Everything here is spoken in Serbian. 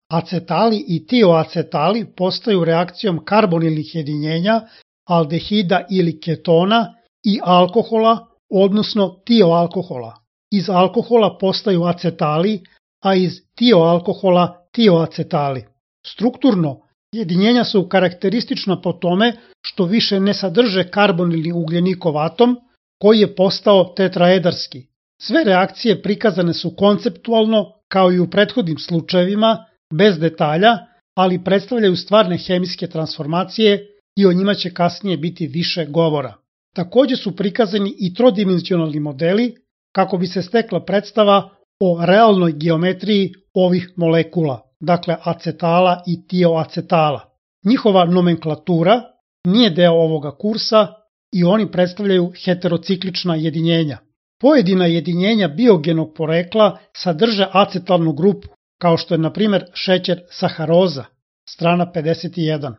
Acetali i tioacetali postaju reakcijom karbonilnih jedinjenja, aldehida ili ketona i alkohola, odnosno tioalkohola. Iz alkohola postaju acetali, a iz tioalkohola tioacetali. Strukturno, jedinjenja su karakteristična po tome što više ne sadrže karbonilni ugljenikov atom, koji je postao tetraedarski. Sve reakcije prikazane su konceptualno, kao i u prethodnim slučajevima, bez detalja, ali predstavljaju stvarne hemijske transformacije i o njima će kasnije biti više govora. Takođe su prikazani i trodimenzionalni modeli kako bi se stekla predstava o realnoj geometriji ovih molekula, dakle acetala i tioacetala. Njihova nomenklatura nije deo ovoga kursa i oni predstavljaju heterociklična jedinjenja. Pojedina jedinjenja biogenog porekla sadrže acetalnu grupu, kao što je na primjer šećer saharoza, strana 51.